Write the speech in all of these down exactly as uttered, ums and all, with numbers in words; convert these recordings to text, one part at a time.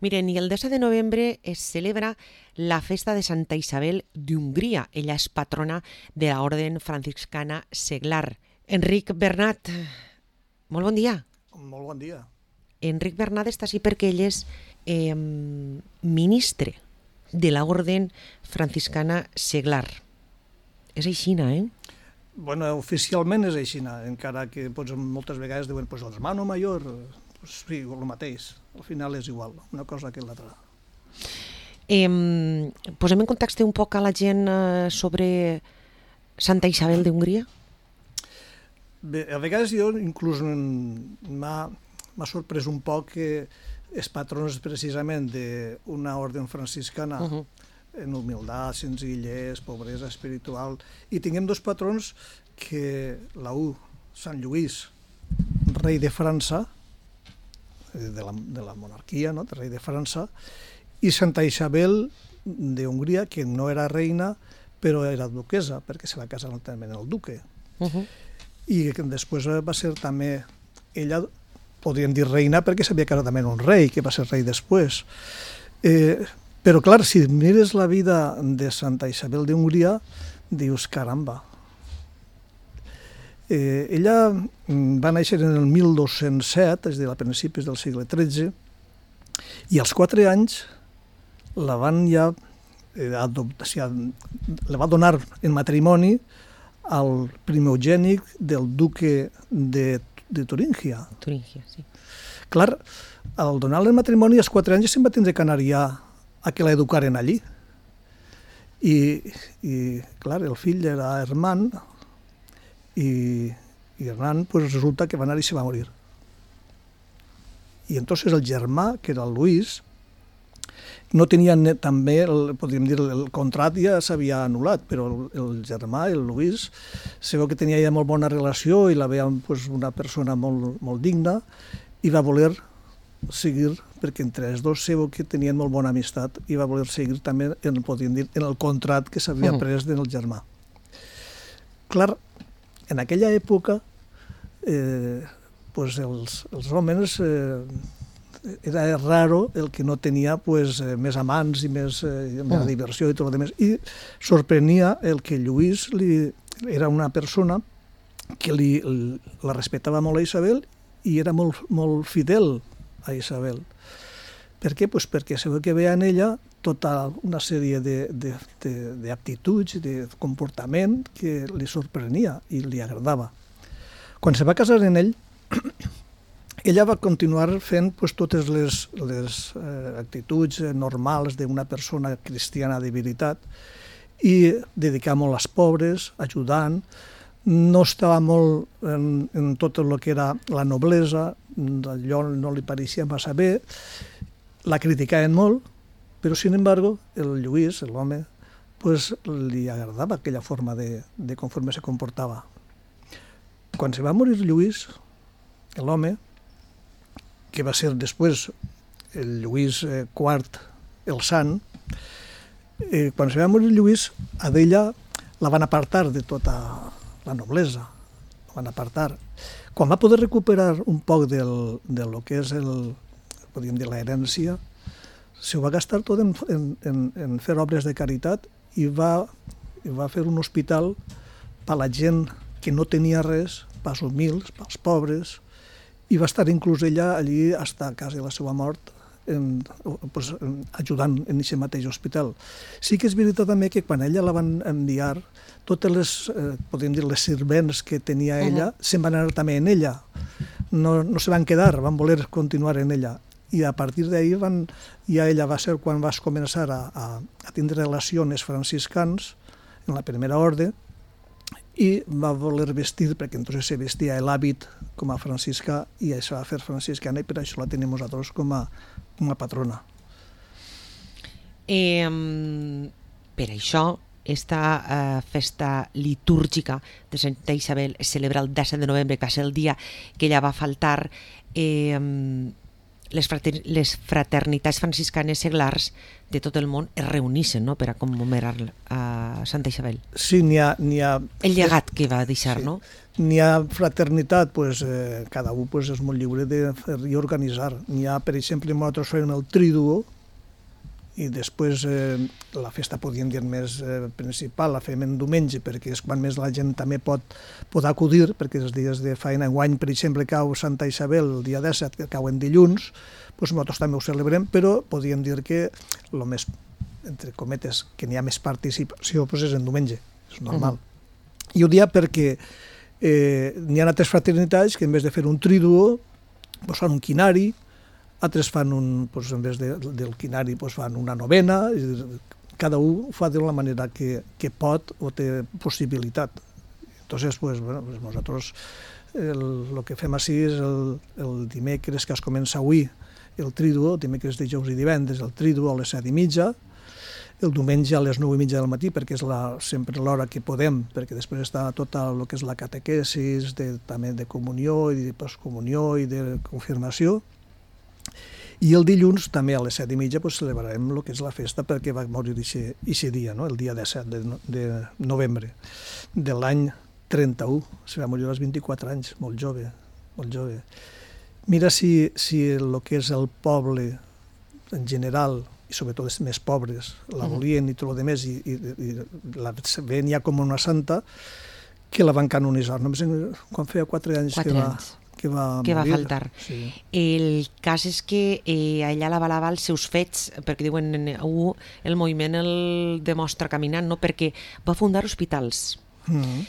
Miren, i el disset de novembre es celebra la festa de Santa Isabel d'Hongria. Ella és patrona de la Orden Franciscana Seglar. Enric Bernat, molt bon dia. Molt bon dia. Enric Bernat està així perquè ell és eh, ministre de la Orden Franciscana Seglar. És aixina, eh? Bueno, oficialment és aixina, encara que pues, moltes vegades diuen pues, el hermano mayor, pues, sí, el mateix. Al final és igual, una cosa que l'altra. Eh, posem en context un poc a la gent eh, sobre Santa Isabel d'Hongria? Bé, a vegades jo inclús m'ha sorprès un poc que els patrons precisament d'una orden franciscana uh-huh. en humilitat, senzillesa, pobresa espiritual, i tinguem dos patrons que la u, Sant Lluís, rei de França, de la, de la monarquia, no? Rei de França, i Santa Isabel d'Hongria, que no era reina, però era duquesa, perquè se va casar també el duque. Uh-huh. I que després va ser també, ella, podríem dir reina, perquè s'havia casat també un rei, que va ser rei després. Eh, però clar, si mires la vida de Santa Isabel d'Hongria, dius, caramba. Eh, ella va néixer en el mil dos-cents set, és a dir, a principis del segle tretze, i als quatre anys la van ja eh, adoptar, o sigui, la va donar en matrimoni al primogènic del duque de, de Turíngia. Turíngia, sí. Clar, al donar-li el matrimoni als quatre anys se'n va tindre que anar ja a que l'educaren allí. I, i clar, el fill era Herman, i, i Hernán pues, resulta que va anar i se va morir. I entonces el germà, que era el Luis, no tenia també, el, podríem dir, el contrat ja s'havia anul·lat, però el, el germà, el Luis, se veu que tenia ja molt bona relació i la veia pues, una persona molt, molt digna i va voler seguir, perquè entre els dos se veu que tenien molt bona amistat i va voler seguir també, en, podríem dir, en el contrat que s'havia uh-huh. pres del germà. Clar, en aquella època eh, pues els, els homes eh, era raro el que no tenia pues, eh, més amants i més, eh, més mm. diversió i tot el més. I sorprenia el que Lluís li, era una persona que li, la respectava molt a Isabel i era molt, molt fidel a Isabel. Per què? Pues perquè se veu que veia en ella tota una sèrie d'aptituds, de, de, de comportament que li sorprenia i li agradava. Quan se va casar en ell, ella va continuar fent pues, totes les, les eh, actituds normals d'una persona cristiana de veritat i dedicar molt als pobres, ajudant. No estava molt en, en tot el que era la noblesa, allò no li pareixia massa bé, la criticaven molt, però, sin embargo, el Lluís, l'home, pues, li agradava aquella forma de, de conforme se comportava. Quan se va morir Lluís, l'home, que va ser després el Lluís quart, el sant, eh, quan se va morir Lluís, a d'ella la van apartar de tota la noblesa, la van apartar. Quan va poder recuperar un poc del, de lo que és el, podríem dir, l'herència, se ho va gastar tot en, en, en fer obres de caritat i va, i va fer un hospital per a la gent que no tenia res, pels humils, pels pobres, i va estar inclús ella allí fins a quasi la seva mort en, pues, en, ajudant en aquest mateix hospital. Sí que és veritat també que quan ella la van enviar, totes les, eh, podríem dir, les servents que tenia ella, uh-huh. se'n van anar també en ella. No, no se van quedar, van voler continuar en ella. I a partir d'ahir van, ja ella va ser quan vas començar a, a, a tindre relacions franciscans en la primera orde i va voler vestir, perquè entonces se vestia l'hàbit com a franciscà i això va fer franciscana i per això la tenim nosaltres com a, com a patrona. Eh, per això esta eh, festa litúrgica de Santa Isabel es celebra el disset de novembre, que va ser el dia que ella va faltar. Eh, les, frater les fraternitats franciscanes seglars de tot el món es reunissin, no?, per a commemorar a Santa Isabel. Sí, n'hi ha, n'hi ha... El llegat que va deixar, sí. no? N'hi ha fraternitat, pues, eh, cada un pues, és molt lliure de fer i organitzar. N'hi ha, per exemple, nosaltres fem el triduo, i després eh, la festa, podríem dir, més eh, principal, la fem en diumenge, perquè és quan més la gent també pot, pot acudir, perquè els dies de feina, enguany, per exemple, cau Santa Isabel el dia disset, que cau en dilluns, doncs nosaltres també ho celebrem, però podríem dir que el més, entre cometes, que n'hi ha més participació, doncs és en diumenge, és normal. Uh-huh. I ho dia perquè eh, n'hi ha altres fraternitats que en vez de fer un triduo, doncs fan un quinari, altres fan un, doncs, en vez de, del quinari doncs fan una novena, cada un ho fa de la manera que, que pot o té possibilitat. Entonces, pues, bueno, pues nosaltres el, el que fem així és el, el dimecres que es comença avui, el triduo, dimecres, dijous i divendres, el triduo a les set i mitja, el diumenge a les nou i mitja del matí, perquè és la, sempre l'hora que podem, perquè després està tota el que és la catequesis, de, també de comunió i de postcomunió i de confirmació. I el dilluns, també a les set i mitja, pues, celebrarem el que és la festa perquè va morir aquest dia, no? El dia disset de, de novembre de l'any trenta-u. Se va morir als vint-i-quatre anys, molt jove, molt jove. Mira si, si el que és el poble en general, i sobretot els més pobres, la volien i tot el demés, i, i, i la ven ja com una santa, que la van canonitzar. Només quan feia quatre anys quatre que va... anys. que va, que va morir. faltar. Sí. El cas és que eh, ella l'avalava els seus fets, perquè diuen uh, el moviment el demostra caminant, no? Perquè va fundar hospitals, Mm.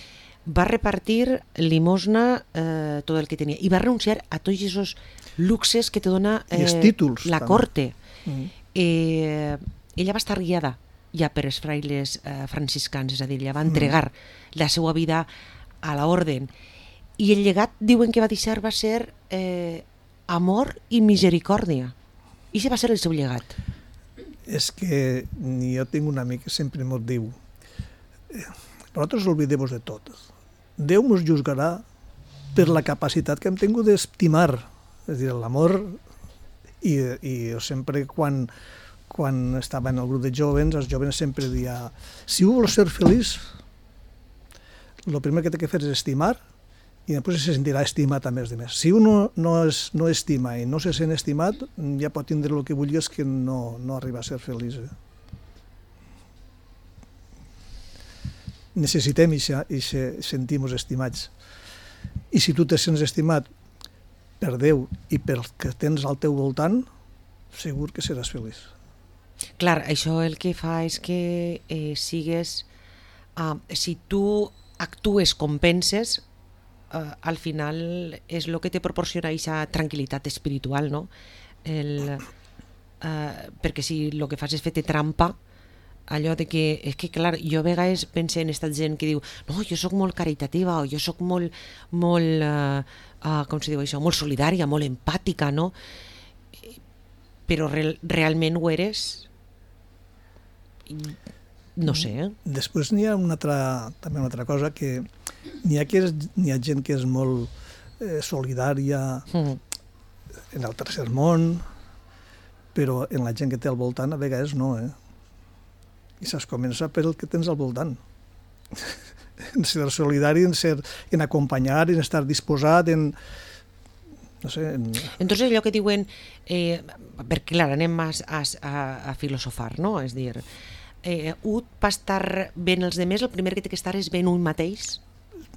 va repartir limosna, eh, tot el que tenia, i va renunciar a tots aquests luxes que te dona eh, I els títols, la també. corte. Mm. Eh, ella va estar guiada ja per els frailes eh, franciscans, és a dir, ella va entregar mm. la seva vida a l'orden. I el llegat, diuen que va deixar, va ser eh, amor i misericòrdia. I això va ser el seu llegat. És que jo tinc un amic que sempre m'ho diu, eh, nosaltres oblidem-vos de tot. Déu mos juzgarà per la capacitat que hem tingut d'estimar, és a dir, l'amor, i, i jo sempre quan, quan estava en el grup de jovens, els jovens sempre deia, si un vol ser feliç, el primer que té que fer és estimar, i després se sentirà estimat a més de més. Si un no, no, es, no estima i no se sent estimat, ja pot tindre el que vulguis que no, no arriba a ser feliç. Eh? Necessitem i sentir-nos estimats. I si tu te sents estimat per Déu i pel que tens al teu voltant, segur que seràs feliç. Clar, això el que fa és que eh, sigues... Uh, si tu actues com penses, Uh, al final és el que te proporciona aquesta tranquil·litat espiritual, no? El, uh, perquè si el que fas és fer-te trampa, allò de que, és que clar, jo a vegades penso en aquesta gent que diu, no, jo sóc molt caritativa, o jo sóc molt, molt, uh, uh, com se diu això, molt solidària, molt empàtica, no? Però re realment ho eres? No sé, eh? Després n'hi ha una altra, també una altra cosa, que n'hi ha, que és, n'hi ha gent que és molt eh, solidària mm. en el tercer món, però en la gent que té al voltant a vegades no, eh? I saps comença per el que tens al voltant. En ser solidari, en, ser, en acompanyar, en estar disposat, en... No sé, en... Entonces allò que diuen, eh, perquè clar, anem a, a, a filosofar, no? És dir, eh, un per estar ben els demés, el primer que té que estar és ben un mateix?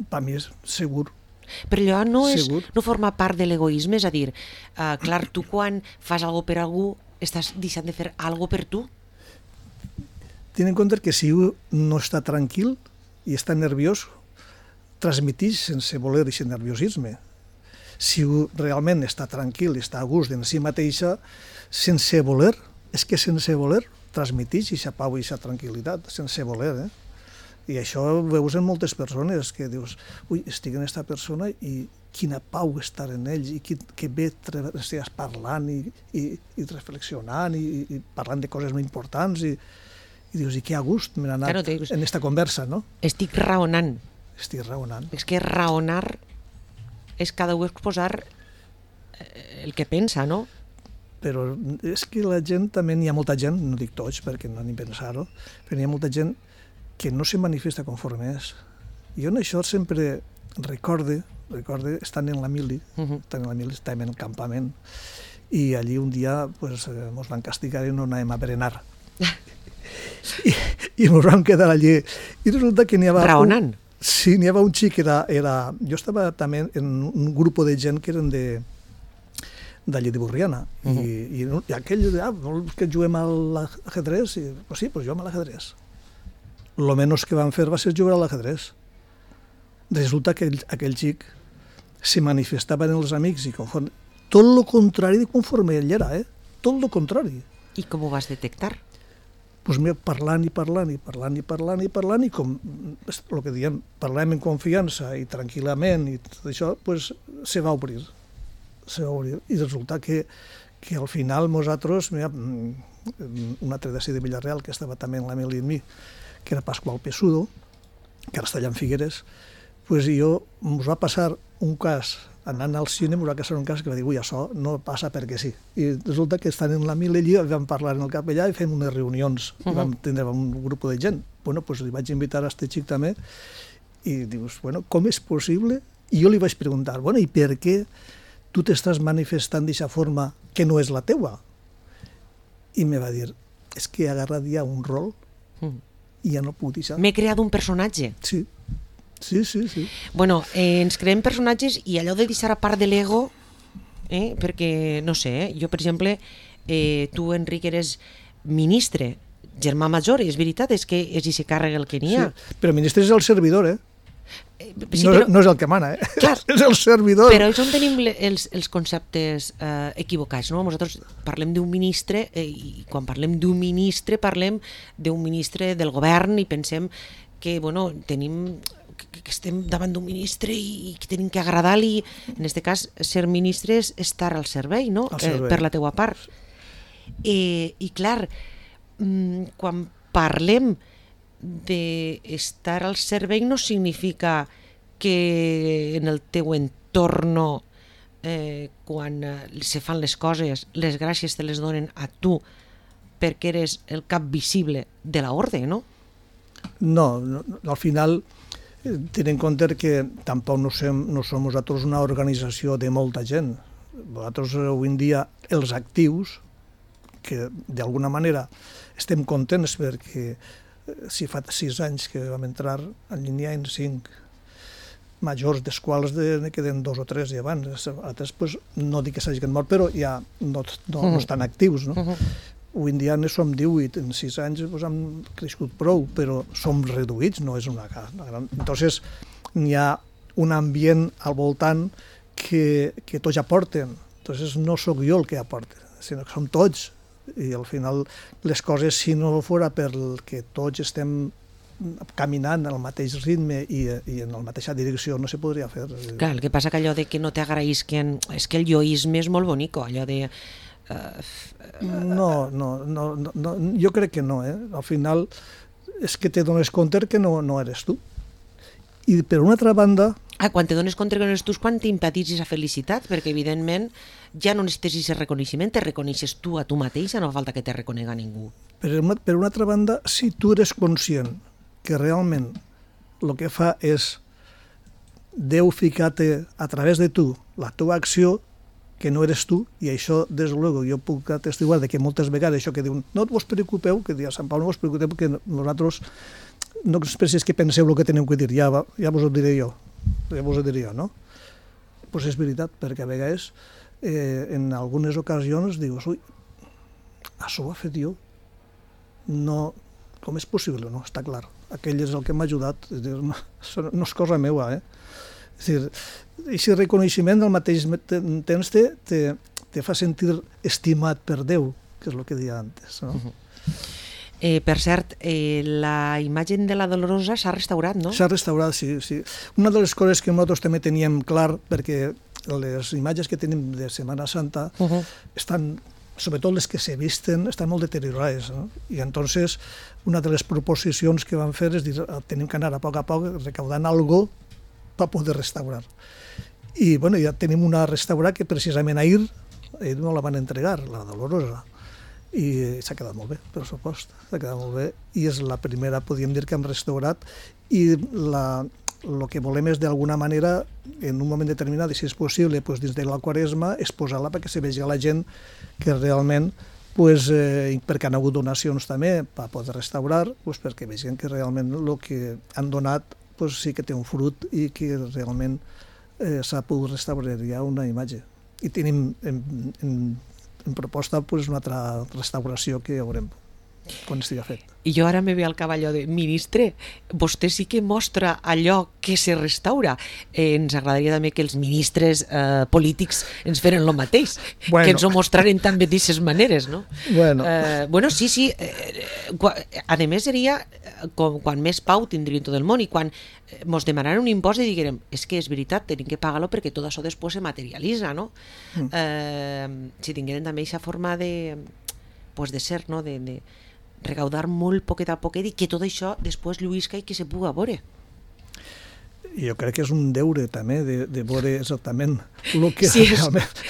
Per mi és segur. Però allò no, és, segur. no forma part de l'egoisme, és a dir, uh, clar, tu quan fas alguna per algú, estàs deixant de fer alguna per tu? Ten en compte que si un no està tranquil i està nerviós, transmetix sense voler aquest nerviosisme. Si un realment està tranquil i està a gust en si mateixa, sense voler, és que sense voler transmetix aquesta pau i aquesta tranquil·litat, sense voler, eh? I això ho veus en moltes persones, que dius, ui, estic en aquesta persona i quina pau estar en ells, i que, que bé estigues parlant i, i, i reflexionant i, i parlant de coses molt importants, i, i dius, i que a gust m'he anat claro, dius, en aquesta conversa, no? Estic raonant. Estic raonant. És que raonar és cada un exposar el que pensa, no? però és que la gent també, n'hi ha molta gent, no dic tots perquè no ni pensar-ho, però n'hi ha molta gent que no se manifesta conforme és. Jo en això sempre recorde, recorde estant en la mili, uh -huh. estant en la mili, estàvem en el campament, i allí un dia pues, ens van castigar i no anàvem a berenar. I, i ens vam quedar allí. I resulta que n'hi havia... Raonant. Un, sí, n'hi havia un xic que era, era... Jo estava també en un grup de gent que eren de d'allí de Borriana. Uh -huh. I, i, I aquell, ah, vols que juguem a l'ajedrez? I, pues sí, pues juguem a l'ajedrez. Lo menys que van fer va ser jugar a l'ajedrez. Resulta que aquell, aquell xic se manifestava en els amics i conforme, tot el contrari de conforme ell era, eh? Tot el contrari. I com ho vas detectar? Pues mira, parlant i parlant i parlant i parlant i parlant i com el que diem, parlem en confiança i tranquil·lament i tot això, pues se va obrir. Se va obrir. I resulta que, que al final nosaltres, mira, un altre d'ací de Villarreal que estava també en la mili amb mi, que era Pasqual Pesudo, que ara està allà en Figueres, pues jo ens va passar un cas, anant al cine, ens va passar un cas que va dir, ui, això no passa perquè sí. I resulta que estan en la mili allí, vam parlar en el capellà i fem unes reunions, uh -huh. i vam tindre un grup de gent. Bueno, pues li vaig invitar a este xic també, i dius, bueno, com és possible? I jo li vaig preguntar, bueno, i per què tu t'estàs manifestant d'aquesta forma que no és la teua? I me va dir, és que he agarrat ja un rol i ja no puc deixar. M'he creat un personatge. Sí, sí, sí. sí. Bueno, eh, ens creem personatges i allò de deixar a part de l'ego, eh, perquè, no sé, eh, jo, per exemple, eh, tu, Enric, eres ministre, germà major, és veritat, és que és i se càrrega el que n'hi ha. Sí, però ministre és el servidor, eh? Sí, no, però, no és el que mana, eh? Clar, és el servidor. Però és on tenim els, els conceptes eh, equivocats, no? Nosaltres parlem d'un ministre eh, i quan parlem d'un ministre parlem d'un ministre del govern i pensem que, bueno, tenim... que estem davant d'un ministre i que tenim que agradar-li. En aquest cas, ser ministre és estar al servei, no? servei. Eh, per la teua part. Eh, I clar, quan parlem d'estar al servei no significa que en el teu entorn, eh, quan se fan les coses, les gràcies te les donen a tu perquè eres el cap visible de l'ordre, no? No, no, al final... Tenint en compte que tampoc no som, no som nosaltres una organització de molta gent. Nosaltres avui en dia, els actius, que d'alguna manera estem contents perquè si fa sis anys que vam entrar, en línia en cinc majors, dels quals ne queden dos o tres i abans. Altres, pues, no dic que s'hagin mort, però ja no, no, no estan actius, no? Uh-huh. Avui en dia ne som divuit, en sis anys pues, hem crescut prou, però som reduïts, no és una, una gran... Entonces, n'hi ha un ambient al voltant que, que tots aporten. Entonces, no sóc jo el que aporta, sinó que som tots. I al final, les coses, si no fora perquè tots estem caminant en el mateix ritme i, i en la mateixa direcció, no se podria fer. Clar, el que passa que allò de que no t'agraïsquen... És que el yoisme és molt bonico, allò de... No, no, no, no, jo crec que no, eh? Al final és que te dones compte que no, no eres tu. I per una altra banda... Ah, quan te dones compte que no eres tu és quan t'impetis aquesta felicitat, perquè evidentment ja no necessites aquest reconeixement, te reconeixes tu a tu mateixa, no fa falta que te reconega ningú. Per una, per una altra banda, si tu eres conscient que realment el que fa és Déu ficar-te a través de tu la teva acció, que no eres tu, i això, des de luego, jo puc atestiguar de que moltes vegades això que diuen, no vos preocupeu, que dia Sant Pau, no vos preocupeu, que nosaltres no pensis que penseu el que teniu que dir, ja, ja vos ho diré jo, ja vos ho diré jo, no? Doncs pues és veritat, perquè a vegades, eh, en algunes ocasions, dius, ui, això ho ha fet jo, no, com és possible? No, està clar, aquell és el que m'ha ajudat, no, no és cosa meua, eh? És a dir, aquest reconeixement al mateix temps te, te, te fa sentir estimat per Déu, que és el que deia antes. No? Uh-huh. eh, per cert, eh, la imatge de la Dolorosa s'ha restaurat, no? S'ha restaurat, sí, sí. Una de les coses que nosaltres també teníem clar, perquè les imatges que tenim de Setmana Santa uh-huh. estan, sobretot les que se visten, estan molt deteriorades. No? I entonces una de les proposicions que vam fer és dir, tenim que anar a poc a poc recaudant algo per poder restaurar. I bueno, ja tenim una restaurar que precisament ahir ell me la van entregar, la Dolorosa, i s'ha quedat molt bé, per supost, s'ha quedat molt bé, i és la primera, podríem dir, que hem restaurat, i la, el que volem és, d'alguna manera, en un moment determinat, i si és possible, pues, dins de la Quaresma, exposar-la perquè se vegi a la gent que realment, pues, eh, perquè han hagut donacions també per poder restaurar, pues, perquè vegin que realment el que han donat pues, sí que té un fruit i que realment eh, s'ha pogut restaurar ja una imatge. I tenim en, en, en proposta pues, una altra restauració que ja veurem quan estigui fet. I jo ara me ve al cap allò de, ministre, vostè sí que mostra allò que se restaura. Eh, ens agradaria també que els ministres eh, polítics ens feren el mateix, bueno. Que ens ho mostraren també d'aquestes maneres, no? Bueno, eh, bueno sí, sí. Eh, a més seria com, quan més pau tindríem tot el món i quan ens demanaran un impost i diguem, és que és veritat, tenim que pagar-lo perquè tot això després se materialitza, no? Mm. Eh, si tingueren també aquesta forma de, pues de ser, no? De, de recaudar molt poquet a poquet i que tot això després lluïsca i que se puga veure. Jo crec que és un deure també de, de veure exactament el que sí, realment...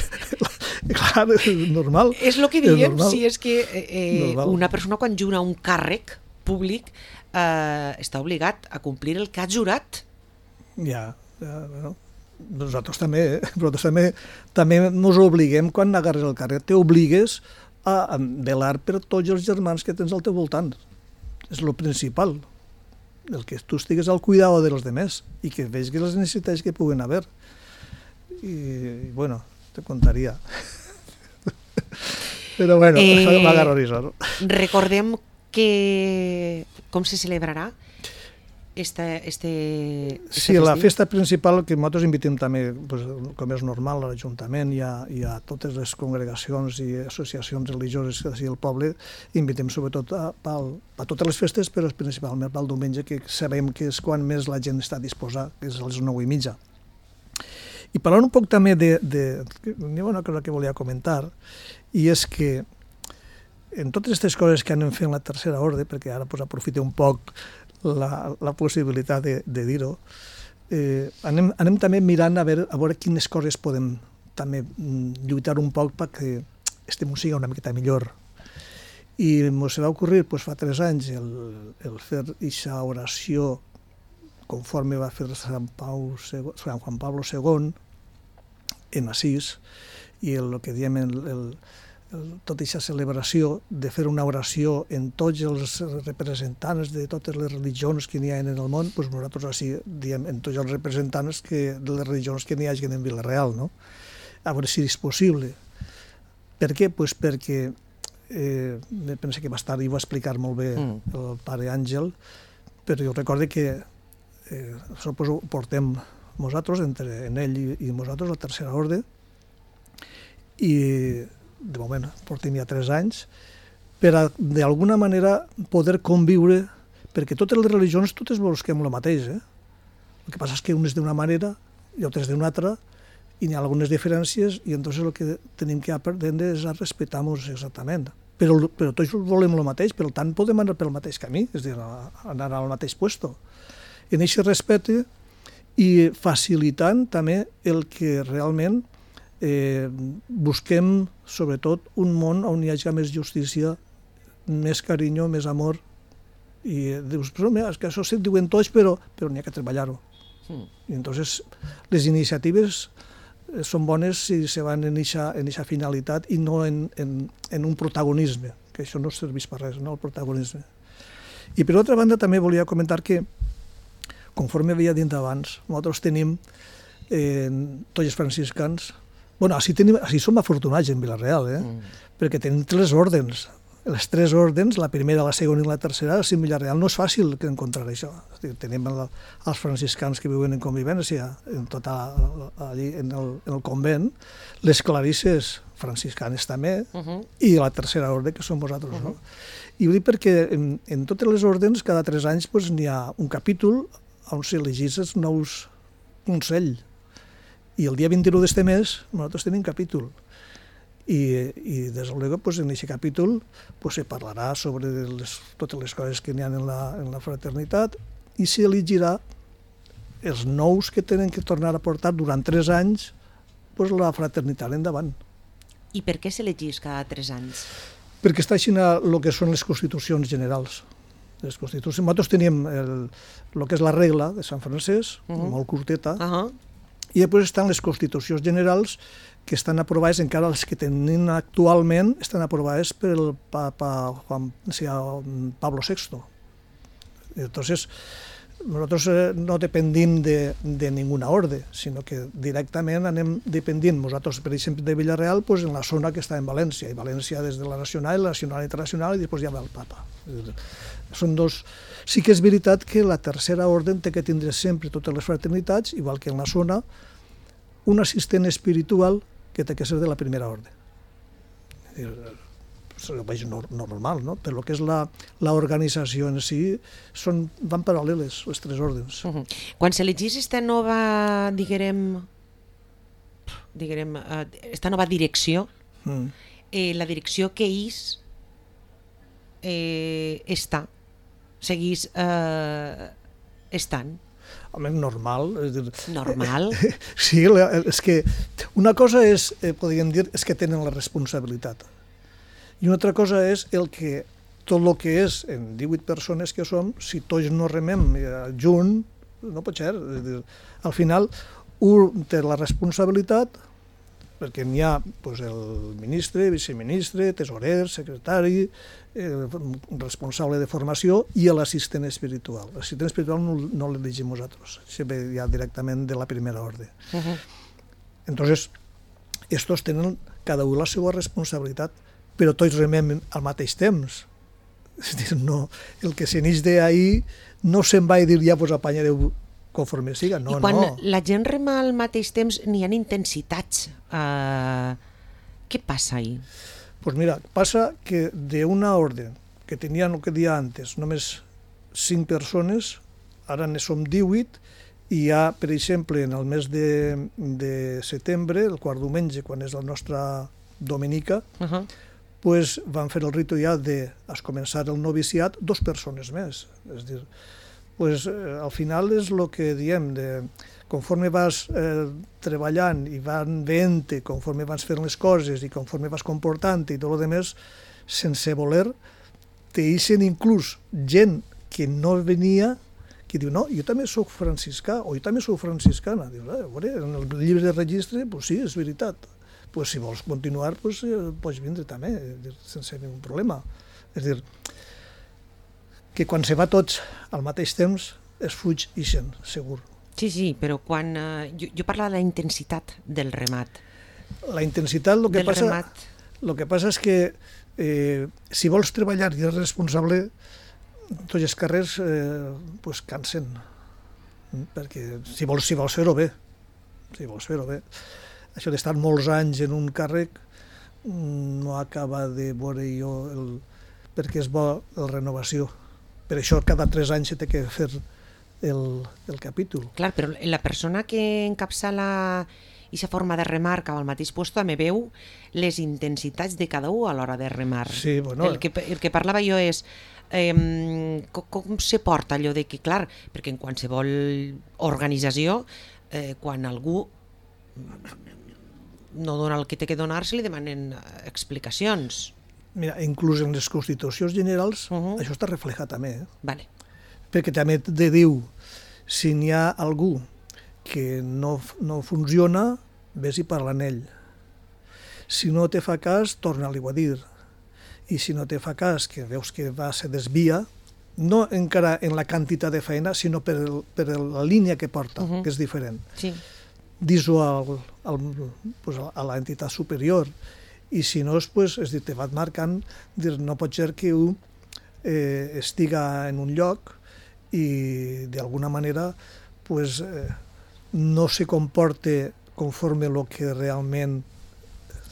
Clar, és normal. És el que diem, és si és que eh, una persona quan jura un càrrec públic eh, està obligat a complir el que ha jurat. Ja, ja bueno, nosaltres també, eh? nosaltres també, també ens obliguem quan agarres el càrrec, t'obligues a velar per tots els germans que tens al teu voltant. És el principal. El que tu estigues al cuidado dels demés i que veig les necessitats que puguen haver. I, bueno, te contaria. Però bueno, eh, m'agarro a risar. Recordem que com se celebrarà Este, este, este sí, la festa principal que nosaltres invitem també, pues, com és normal, a l'Ajuntament i a, i a totes les congregacions i associacions religioses que del poble, invitem sobretot a, a, a totes les festes, però principalment pel diumenge, que sabem que és quan més la gent està disposada, que és a les nou i mitja. I parlant un poc també de... de hi ha una cosa que volia comentar, i és que en totes aquestes coses que anem fent la tercera ordre, perquè ara pues, aprofite un poc La, la possibilitat de, de dir-ho, eh, anem, anem també mirant a veure, a veure quines coses podem també lluitar un poc perquè este música una miqueta millor. I ens va ocorrir pues, fa tres anys el, el fer aquesta oració conforme va fer Sant, Pau, Sant Juan Pablo segon en Assís i el, el que diem el, el tota aquesta celebració de fer una oració en tots els representants de totes les religions que n'hi ha en el món, doncs nosaltres així diem en tots els representants que, de les religions que n'hi hagi en Vila-real, no? A veure si és possible. Per què? Pues perquè eh, penso que va estar i va explicar molt bé mm. el pare Àngel, però jo recordo que eh, això pues, ho portem nosaltres, entre en ell i, i nosaltres, la tercera ordre, i de moment portem ja tres anys, per a, d'alguna manera, poder conviure, perquè totes les religions, totes busquem el mateix, eh? El que passa és que unes d'una manera i altres d'una altra, i n'hi ha algunes diferències, i entonces el que tenim que aprendre és a respectar-nos exactament. Però, però tots volem el mateix, per tant podem anar pel mateix camí, és a dir, anar al mateix puesto. En aquest respecte, i facilitant també el que realment Eh, busquem, sobretot, un món on hi hagi més justícia, més carinyo, més amor. I dius, però mira, és que això se'n diuen tots, però, però n'hi ha que treballar-ho. Mm. I entonces les iniciatives són bones si se van en aquesta finalitat i no en, en, en un protagonisme, que això no serveix per res, no, el protagonisme. I per altra banda també volia comentar que, conforme havia dit abans, nosaltres tenim eh, tots els franciscans. Bueno, així, tenim, així som afortunats en Vila-real, eh? Mm. Perquè tenim tres ordens. Les tres ordens, la primera, la segona i la tercera, si en Vila-real no és fàcil encontrar això. Tenim el, els franciscans que viuen en convivència, en tota, allí en el, en el convent, les clarisses franciscanes també, uh -huh. i la tercera ordre, que som vosaltres. Uh -huh. No? I ho dic perquè en, en totes les ordens, cada tres anys, pues, n'hi ha un capítol on s'elegís els nous consell. I el dia vint-i-u d'este mes nosaltres tenim capítol. I, i des de luego, pues, en aquest capítol pues, se parlarà sobre les, totes les coses que n'hi ha en la, en la fraternitat i s'elegirà els nous que tenen que tornar a portar durant tres anys pues, la fraternitat endavant. I per què s'elegís cada tres anys? Perquè està així el que són les constitucions generals. Les constitucions, nosaltres teníem el, el que és la regla de Sant Francesc, uh -huh. molt curteta, uh -huh. i després estan les constitucions generals que estan aprovades, encara les que tenim actualment, estan aprovades per el papa Juan, o sigui, Pablo sexto. Entonces, nosaltres eh, no dependim de, de ninguna orde, sinó que directament anem dependint, nosaltres, per exemple, de Villarreal, pues, en la zona que està en València, i València des de la nacional, la nacional internacional, i després ja ve el papa. Són dos... Sí que és veritat que la tercera orde té que tindre sempre totes les fraternitats, igual que en la zona, un assistent espiritual que té que ser de la primera orde. Ho veig normal, no? Per lo que és l'organització en si, són, van paral·leles les tres ordens. Uh -huh. Quan s'elegís esta nova, diguem, diguem, esta nova direcció, mm. eh, la direcció que és eh, està, seguís eh, estant. Home, normal. És dir, normal? Sí, és que una cosa és, eh, podríem dir, és que tenen la responsabilitat. I una altra cosa és el que tot el que és en divuit persones que som, si tots no remem junt, no pot ser. És dir, al final, un té la responsabilitat, perquè n'hi ha pues, el ministre, viceministre, tesorer, secretari, eh, responsable de formació i l'assistent espiritual. L'assistent espiritual no, no l'elegim nosaltres, sempre ja directament de la primera ordre. Uh -huh. Entonces, estos tenen cada un la seva responsabilitat, però tots remem al mateix temps. És dir, no, el que se n'eix d'ahir no se'n va a dir ja pues, apanyareu conforme siga, no, no. I quan no. la gent rema al mateix temps n'hi ha intensitats. Uh, què passa ahí? Pues mira, passa que d'una ordre que tenien el que dia antes només cinc persones, ara ne som divuit, i hi ha, per exemple, en el mes de, de setembre, el quart diumenge, quan és la nostra domenica, uh -huh. pues van fer el ritu ja de començar el noviciat dos persones més. És dir, pues, eh, al final és el que diem, de, conforme vas eh, treballant i van veient, conforme vas fent les coses i conforme vas comportant i tot el més, sense voler, te deixen inclús gent que no venia, que diu, no, jo també sóc franciscà, o jo també sóc franciscana. Diu, eh, veure, en el llibre de registre, pues sí, és veritat. Pues si vols continuar, pues, eh, pots vindre també, sense ningú problema. És dir, que quan se va tots al mateix temps, es fuig ixen, segur. Sí, sí, però quan... Eh, jo, jo parlava de la intensitat del remat. La intensitat, el que del passa... remat. El que passa és que eh, si vols treballar i és responsable, tots els carrers eh, pues cansen. Perquè si vols, si vols fer-ho bé, si vols fer-ho bé, això d'estar molts anys en un càrrec no acaba de veure jo el, perquè és bo la renovació. Per això cada tres anys se té que fer el, el capítol. Clar, però la persona que encapçala aquesta forma de remar cap al mateix lloc també veu les intensitats de cada un a l'hora de remar. Sí, bueno, el, que, el que parlava jo és eh, com, com se porta allò de que, clar, perquè en qualsevol organització, eh, quan algú no dona el que té que donar, se li demanen explicacions. Mira, inclús en les constitucions generals uh -huh. això està reflejat també. Eh? Vale. Perquè també te diu, si n'hi ha algú que no, no funciona, ves i parla amb ell. Si no te fa cas, torna-li-ho a dir. I si no te fa cas, que veus que va, se desvia, no encara en la quantitat de feina, sinó per, el, per la línia que porta, uh -huh. que és diferent. Sí. Dis-ho al, al, pues a l'entitat superior. I si no, pues, és dir, te va marcant, dir, no pot ser que un eh, estiga en un lloc i d'alguna manera pues, eh, no se comporte conforme el que realment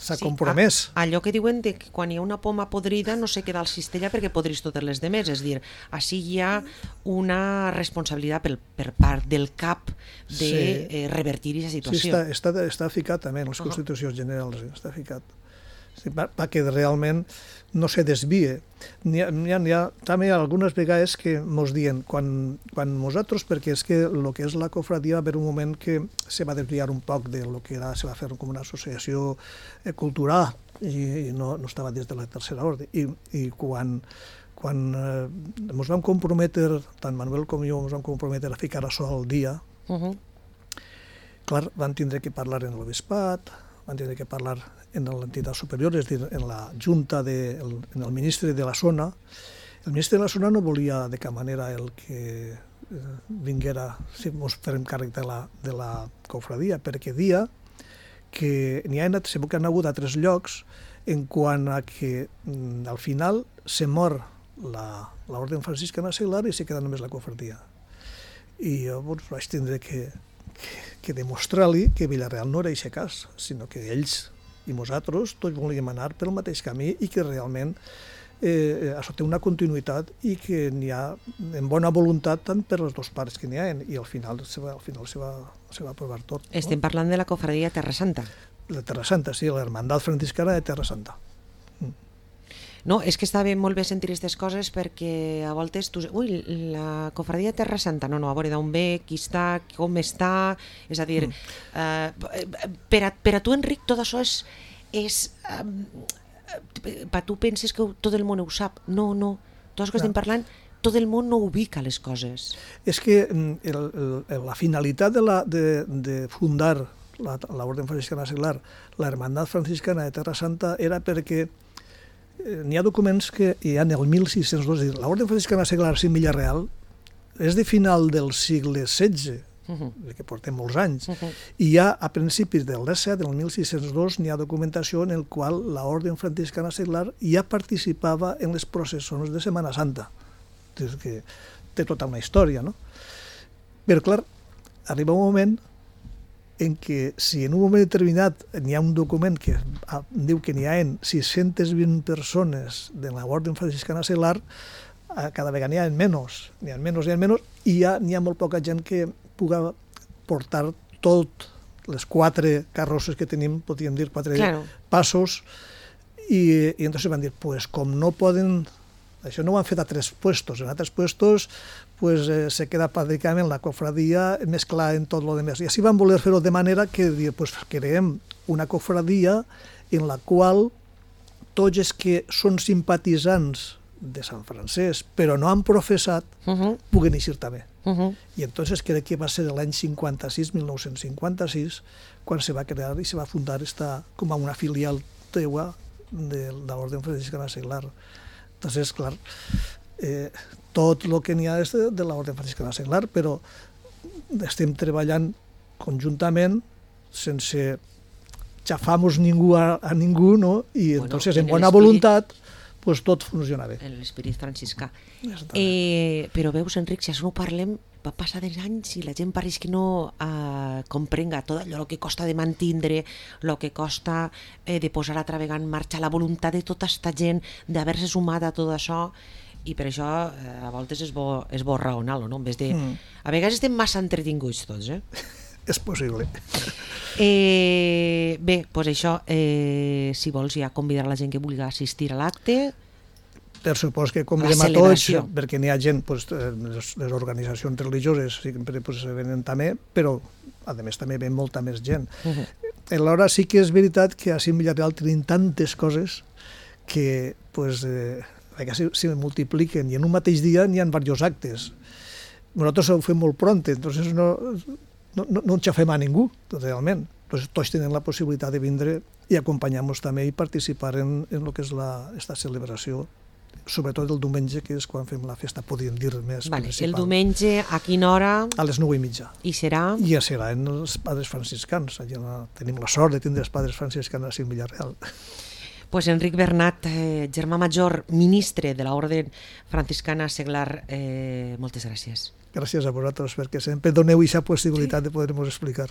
s'ha sí, compromès. A, allò que diuen de que quan hi ha una poma podrida no se queda al cistella perquè podrís totes les demés, és dir, així hi ha una responsabilitat per, per part del cap de sí. eh, revertir aquesta situació. Sí, està, està, està ficat també en les uh -huh. constitucions generals, està ficat. perquè realment no se desvie. N'hi ha, n'hi ha, n'hi ha també algunes vegades que mos diuen, quan, quan nosaltres, perquè és que el que és la cofradia va haver un moment que se va desviar un poc de lo que era, se va fer com una associació cultural i, i no, no estava dins de la tercera ordre. I, i quan, quan eh, ens vam comprometre, tant Manuel com jo, ens vam comprometre a ficar això al dia, uh-huh. clar, van tindre que parlar en l'obispat, van tindre que parlar en l'entitat superior, és a dir, en la junta, de, el, en el ministre de la zona. El ministre de la zona no volia de cap manera el que eh, vinguera, si ens farem càrrec de la, de la cofradia, perquè dia que n'hi ha anat, segur que han hagut a tres llocs en quant a que mm, al final se mor l'Orden Franciscana Seglar i se queda només la cofradia. I jo doncs, vaig tindre que, que, que demostrar-li que Vilareal no era aquest cas, sinó que ells i nosaltres tots volíem anar pel mateix camí i que realment eh, això té una continuïtat i que n'hi ha en bona voluntat tant per les dues parts que n'hi ha i al final se va, al final se va, se va aprovar tot. Estem no? parlant de la cofradia Terra Santa. La Terra Santa, sí, l'Hermandat Franciscana de Terra Santa. Mm. No, és que està bé, molt bé sentir aquestes coses perquè a voltes tu... Ui, la cofradia Terra Santa, no, no, a veure d'on ve, qui està, com està... És a dir, mm. eh, per, a, per a tu, Enric, tot això és... és eh, per tu penses que tot el món ho sap. No, no, tot el que estem parlant, tot el món no ubica les coses. És que el, el, la finalitat de, la, de, de fundar l'Orden Franciscana Seglar, la Hermandat Franciscana de Terra Santa, era perquè n'hi ha documents que hi ha en el mil sis-cents dos, l'Orden Franciscana Seglar en Vilareal és de final del segle setze, uh-huh. que portem molts anys, uh-huh. i ja a principis del disset, del mil sis-cents dos, n'hi ha documentació en el qual l'Orden Franciscana Seglar ja participava en les processons de Setmana Santa. És que té tota una història, no? Però, clar, arriba un moment en què si en un moment determinat n'hi ha un document que diu que n'hi ha sis-centes vint persones de l'Orden Franciscana Seglar, cada vegada n'hi ha menys, n'hi ha menys, n'hi ha menys, i ja n'hi ha molt poca gent que puga portar tot les quatre carrosses que tenim, podríem dir, quatre claro. passos, i, i entonces van dir, pues com no poden... Això no ho han fet a tres puestos, en altres puestos pues, eh, se queda pràcticament la cofradia mesclada en tot lo demás. I així van voler fer-ho de manera que pues, creem una cofradia en la qual tots els que són simpatitzants de Sant Francesc, però no han professat, uh-huh. puguen eixir també. Uh-huh. I entonces crec que va ser l'any cinquanta-sis, mil nou-cents cinquanta-sis, quan se va crear i se va fundar esta, com a una filial teua de l'Orden Franciscana Seglar. Entonces, clar, eh, tot el que n'hi ha és de, de l'Orden Franciscana Seglar, però estem treballant conjuntament sense xafar-nos ningú a, a ningú, no? I bueno, entonces, en, en bona voluntat, pues, tot funciona bé. En l'esperit franciscà. Eh, però veus, Enric, si això no parlem, va passar dels anys i la gent pareix que no eh, comprenga tot allò que costa de mantindre, el que costa eh, de posar altra vegada en marxa, la voluntat de tota aquesta gent d'haver-se sumat a tot això, i per això eh, a voltes és bo, és bo raonar-lo, no? En vez de... Mm. A vegades estem massa entretinguts tots, eh? És possible. Eh, bé, doncs això, eh, si vols ja convidar la gent que vulgui assistir a l'acte... Per supost que convidem a tots, perquè n'hi ha gent, pues, les, les organitzacions religioses sempre pues, venen també, però a més també ven molta més gent. Uh-huh. Alhora sí que és veritat que a Vilareal tenim tantes coses que pues, eh, se, se multipliquen i en un mateix dia n'hi ha diversos actes. Nosaltres ho fem molt pront, entonces no, no, no, no enxafem a ningú, realment. Entonces, tots tenen la possibilitat de vindre i acompanyar-nos també i participar en, en el que és la, esta celebració, sobretot el diumenge, que és quan fem la festa, podríem dir més vale, principal. El diumenge, a quina hora? A les nou i mitja. I serà? I ja serà en els padres franciscans. Allà tenim la sort de tindre els padres franciscans a Vilareal. Pues Enric Bernat, eh, germà major, ministre de l'Orde Franciscana Seglar, eh, moltes gràcies. Gràcies a vosaltres, perquè sempre doneu aquesta possibilitat sí. de poder-nos explicar.